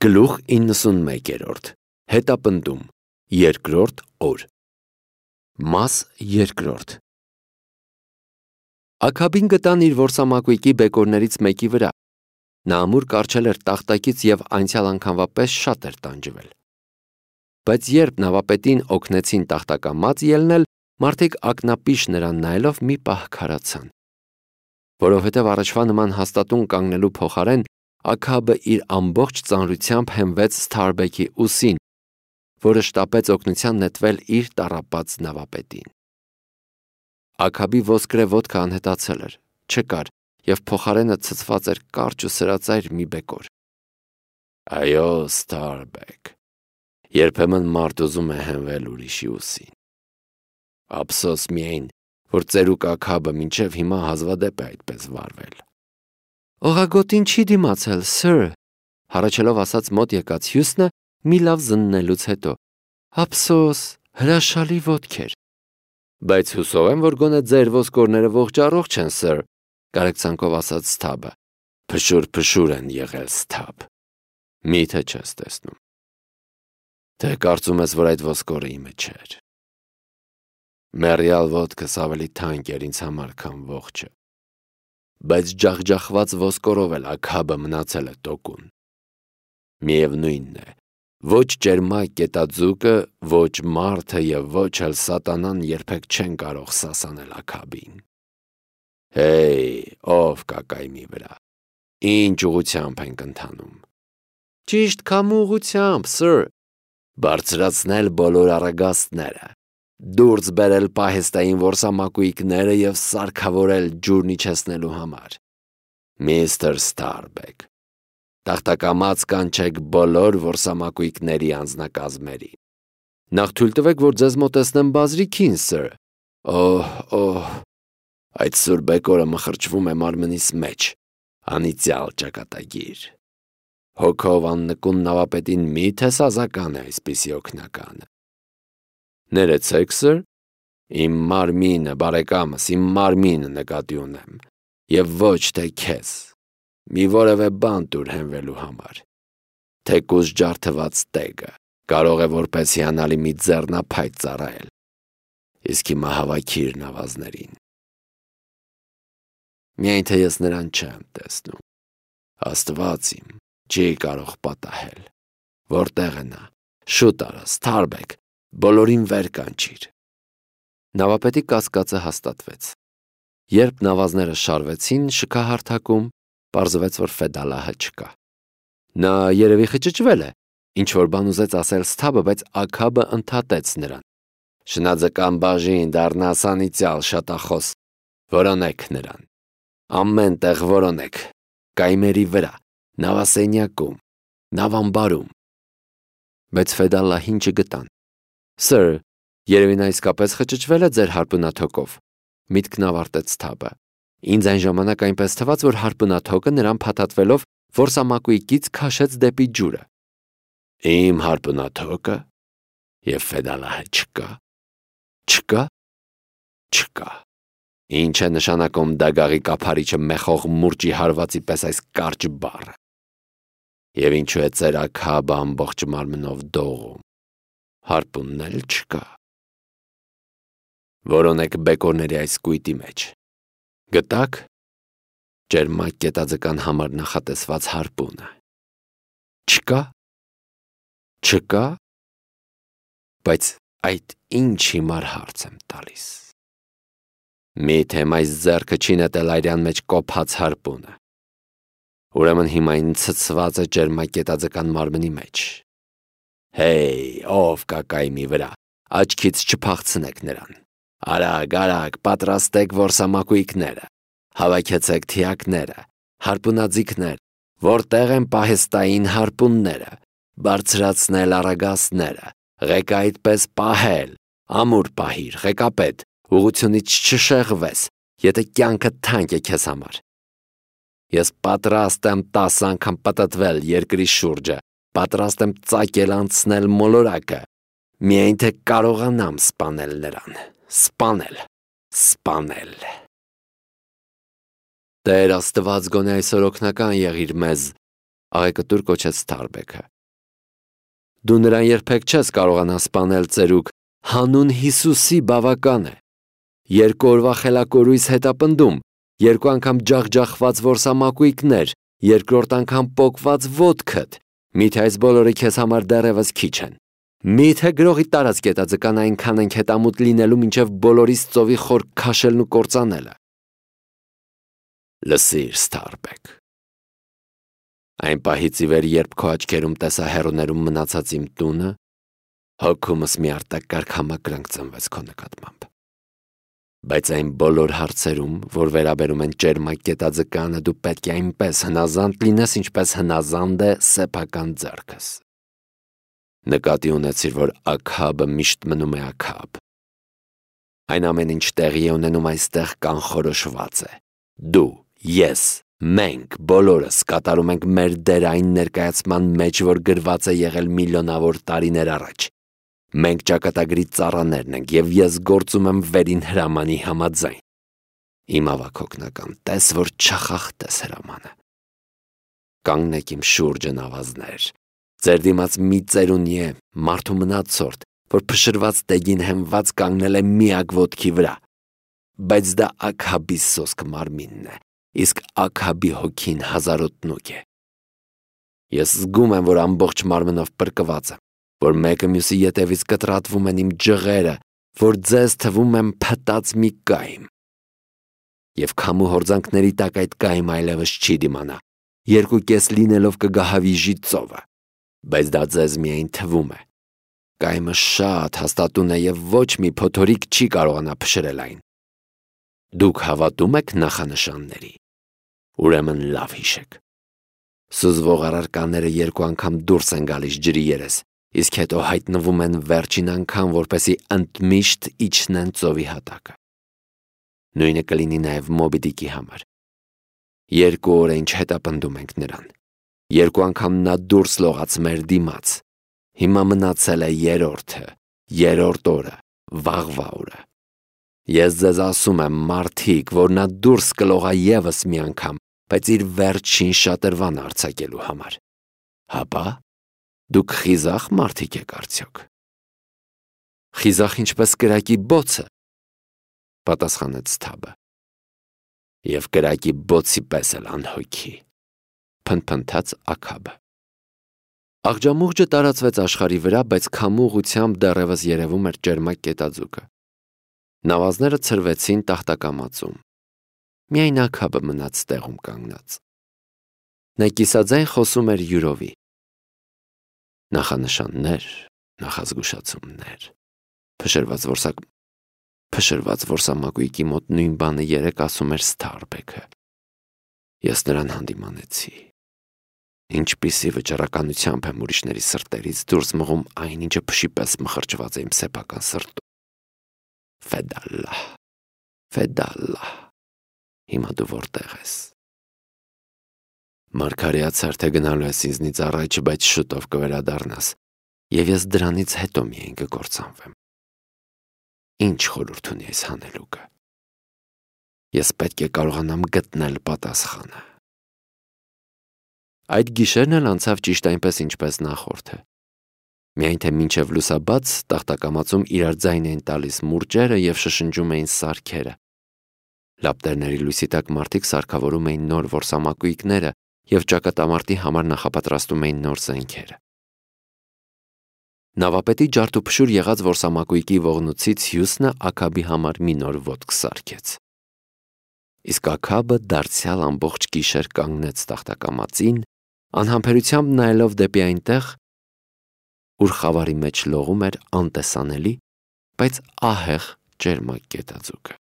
Գլուխ 91 Հետապնդում Երկրորդ օր Մաս երկրորդ Աքաբին գտան իր որսամակույկի բեկորներից մեկի վրա։ Նա ամուր կառչել էր տախտակից և անցյալ անգամվա պես շատ էր տանջվել։ Բայց երբ նավապետին օգնեցին տախտակամած ելնել, մարդիկ ակնապիշ նրան նայելով մի պահ քարացան։ Որովհետև առաջվա նման հաստատուն կանգնելու փոխարեն Աքաբը իր ամբողջ ծանրությամբ հենվեց Սթարբեքի ուսին, որը շտապեց օգնության նետվել իր տառապած նավապետին։ Աքաբի ոսկրե ոտքը անհետացել էր, չկար, և փոխարենը ցցված էր կարճ ու սրածայր մի բեկոր։ Այո, Սթարբեք, երբեմն մարդ ուզում է հենվել ուրիշի ուսին։ Ափսոս միայն, որ ծերուկ Աքաբը մինչև հիմա հազվադեպ է այդպես վարվել։ Օղագոտին չի դիմացել, սըր, հառաչելով ասաց մոտ եկած Հյուսնը մի լավ զննելուց հետո։ Ափսոս, հրաշալի ոտք էր։ Բայց հուսով եմ, որ գոնե ձեր ոսկորները ողջ են, սըր, կարեկցանքով ասաց Սթաբը։ Փշուր են եղել, Սթաբ։ Միթե չես տեսնում։ Թե կարծում ես, որ այդ ոսկորը իմը չէր։ Մեռյալ ոտքս ավելի թանկ էր ինձ համար, քան ողջը։ Բայց ջախջախված ոսկորով էլ Աքաբը մնացել է տոկուն։ Միևնույնն է, ոչ ճերմակ կետաձուկը, ոչ մարդը և ոչ էլ սատանան երբեք չեն կարող սասանել Աքաբին։ Հեյ, ով կա կայմի վրա, ինչ ուղղությամբ ենք ընթանում։ Ճիշտ քամու ուղղությամբ, սըր, բարձրացնել բոլոր առագաստները, դուրս բերել պահեստային որսամակույկները և սարքավորել ջուրն իջեցնելու համար։ Միստր Սթարբեք, տախտակամած կանչեք բոլոր որսամակույկների անձնակազմերին։ Նախ թույլ տվեք, որ ձեզ մոտեցնեմ բազրիքին, սըր։ Օհ, այդ սուր բեկորը մխրճվում է մարմնիս մեջ, անիծյալ ճակատագիր։ Հոգով աննկուն նավապետին միթե սազական է այսպիսի օգնականը։ Ներեցեք, սըր, իմ մարմինը, բարեկամս, իմ մարմինը նկատի ունեմ, և ոչ թե քեզ, մի որևէ բան տուր հենվելու համար, թեկուզ ջարդված տեգը, կարող է որպես հիանալի մի ձեռնափայտ ծառայել, իսկ հիմա հավաքիր նավազներին։ Միայն թե ես նրան չեմ տեսնում, Աստված իմ, չի կարող պատահել, որտեղ է նա, շուտ արա, Սթարբեք, բոլորին վեր կանչիր։ Նավապետի կասկածը հաստատվեց։ Երբ նավազները շարվեցին շքահարթակում, պարզվեց, որ Ֆեդալահը չկա։ Նա երևի խճճվել է, ինչ-որ բան ուզեց ասել Սթաբը, բայց Աքաբը ընդհատեց նրան։ Շնաձկան բաժին դառնաս անիծյալ շատախոս, որոնեք նրան։ Ամեն տեղ որոնեք, կայմերի վրա, նավասենյակում, նավամբարում։ Բայց Ֆեդալահին չգտան։ Սըր, երևի նա իսկապես խճճվել է ձեր հարպունաթոկով, միտքն ավարտեց Սթաբը։ Ինձ այն ժամանակ այնպես թվաց, որ հարպունաթոկը նրան փաթաթվելով որսամակույկից քաշեց դեպի ջուրը։ Իմ հարպունաթոկը և Ֆեդալահը չկա։ Չկա։ Չկա։ Ինչ է նշանակում դագաղի կափարիչը մեխող մուրճի հարվածի պես այս կարճ բառը։ Եվ ինչու է ծեր Աքաբը ամբողջ մարմնով դողում։ Հարպունն էլ չկա։ Որոնեք բեկորների այս կույտի մեջ։ Գտաք ճերմակ կետաձկան համար նախատեսված հարպունը։ Չկա։ Չկա։ Բայց այդ ինչ հիմար հարց եմ տալիս։ Միթե այս ձեռքը չի նետել այրյան մեջ կոփած հարպունը։ Ուրեմն հիմա այն ցցված է ճերմակ կետաձկան մարմնի մեջ։ Հեյ, ով կա կայմի վրա, աչքից չփախցնեք նրան։ Արագ, պատրաստեք որսամակույկները, հավաքեցեք թիակները, հարպունաձիգներ, որտեղ են պահեստային հարպունները, բարձրացնել առագաստները, ղեկը այդպես պահել, ամուր պահիր, ղեկապետ, ուղղությունից չշեղվես, եթե կյանքը թանկ է քեզ համար։ Ես պատրաստ եմ 10 անգամ պտտվել երկրի շուրջը, պատրաստ եմ ծակել անցնել մոլորակը, միայն թե կարողանամ սպանել նրան, սպանել։ Տեր Աստված գոնե այսօր օգնական եղիր մեզ, աղեկտուր կոչեց Սթարբեքը։ Դու նրան երբեք չես կարողանա սպանել, ծերուկ, հանուն Հիսուսի բավական է։ 2 օրվա խելակորույս հետապնդում, 2 անգամ ջախջախված որսամակույկներ, 2-րդ անգամ պոկված ոտքդ, միթե այս բոլորը քեզ համար դեռևս քիչ են։ Միթե գրողի տարած կետաձկան այնքան ենք հետամուտ լինելու, մինչև բոլորիս ծովի խոր քաշելն ու կործանելը։ Լսիր, Սթարբեք։ Այն պահից ի վեր, երբ քո աչքերում տեսա հեռուներում մնացած իմ տունը, հոգումս մի արտակարգ համակրանք ծնվեց քո նկատմամբ։ Բայց այն բոլոր հարցերում, որ վերաբերում են ճերմակ կետաձկանը, դու պետք է այնպես հնազանդ լինես, ինչպես հնազանդ է սեփական ձեռքս։ Նկատի ունեցիր, որ Աքաբը միշտ մնում է Աքաբ։ Այն ամեն ինչ տեղի է ունենում այստեղ կանխորոշված է։ Դու, ես, մենք բոլորս կատարում ենք մեր դերը այն ներկայացման մեջ, որ գրված է եղել միլիոնավոր տարիներ առաջ։ Մենք ճակատագրի ծառաներն ենք, եւ ես գործում եմ վերին հրամանի համաձայն։ Իմ ավագ օգնական, տես որ չխախտես հրամանը։ Կանգնեք իմ շուրջը, նավազներ։ Ձեր դիմաց մի ծերունի է, մարդու մնացորդ, որ փշրված տեգին հենված կանգնել է միակ ոտքի վրա։ Բայց դա Աքաբի սոսկ մարմինն է, իսկ Աքաբի հոգին հազարոտնուկ է։ Ես զգում եմ, որ ամբողջ մարմնով պրկված եմ, որ մեկը մյուսի ետևից կտրատվում են իմ ջղերը, որ ձեզ թվում եմ փտած մի կայմ։ Եվ քամու հորձանքների տակ այդ կայմ այլևս չի դիմանա, 2.5 լինելով կգահավիժի ծովը, բայց դա ձեզ միայն թվում է։ Կայմը շատ հաստատուն է եւ ոչ մի փոթորիկ չի կարողանա փշրել այն։ Դուք հավատում եք նախանշանների։ Ուրեմն լավ հիշեք։ Սուզվող առարկաները 2 անգամ դուրս են գալիս ջրի երես, իսկ հետո հայտնվում են վերջին անգամ, որպեսզի ընդմիշտ իջնեն ծովի հատակը։ Նույնը կլինի նաև Մոբի Դիկի համար։ 2 օր է ինչ հետապնդում ենք նրան։ 2 անգամ նա դուրս լողաց մեր դիմաց։ Հիմա մնացել է 3-րդ օրը, վաղվա օրը։ Ես ձեզ ասում եմ, մարդիկ, որ նա դուրս կլողա ևս մի անգամ, բայց իր վերջին շատրվան արձակելու համար։ Հապա, դուք խիզախ մարդիկ եք արդյոք։ Խիզախ ինչպես կրակի բոցը, պատասխանեց Սթաբը։ Եվ կրակի բոցի պես էլ անհոգի, փնփնթաց Աքաբը։ Աղջամուղջը տարածվեց աշխարհի վրա, բայց քամու ուղղությամբ դեռևս երևում էր ճերմակ կետաձուկը։ Նավազները ցրվեցին տախտակամածում։ Միայն Աքաբը մնաց տեղում կանգնած։ Նա կիսաձայն խոսում էր յուրովի։ Նախանշաններ, նախազգուշացումներ, փշրված որսամակույկի մոտ նույն բանը երեք ասում էր Սթարբեքը։ Ես նրան հանդիմանեցի։ Ինչպիսի վճռականությամբ եմ ուրիշների սրտերից դուրս մղում այն, ինչը փշի պես մխրճված է իմ սեփական սրտում։ Ֆեդալլահ, հիմա դու որտեղ ես։ Մարգարեացար, թե գնալու ես ինձնից առաջ, բայց շուտով կվերադառնաս, եւ ես դրանից հետո միայն կկործանվեմ։ Ինչ խորհուրդ ունի այս հանելուկը։ Ես պետք է կարողանամ գտնել պատասխանը։ Այդ գիշերն էլ անցավ ճիշտ այնպես, ինչպես նախորդը։ Միայն թե մինչև լուսաբաց տախտակամածում իրար ձայն էին տալիս մուրճերը եւ շշնջում էին սարքերը։ Լապտերների լույսի տակ մարդիկ սարքավորում էին նոր որսամակույկները եւ ճակատամարտի համար նախապատրաստում էին նոր զենքերը։ Նավապետի ջարդուփշուր եղած որսամակույկի ողնուցից Հյուսնը Աքաբի համար մի նոր ոտք սարքեց։ Իսկ Աքաբը դարձյալ ամբողջ գիշեր կանգնեց տախտակամածին, անհամբերությամբ նայելով դեպի այնտեղ, ուր խավարի մեջ լողում էր անտեսանելի, բայց ահեղ ճերմակ կետաձուկը։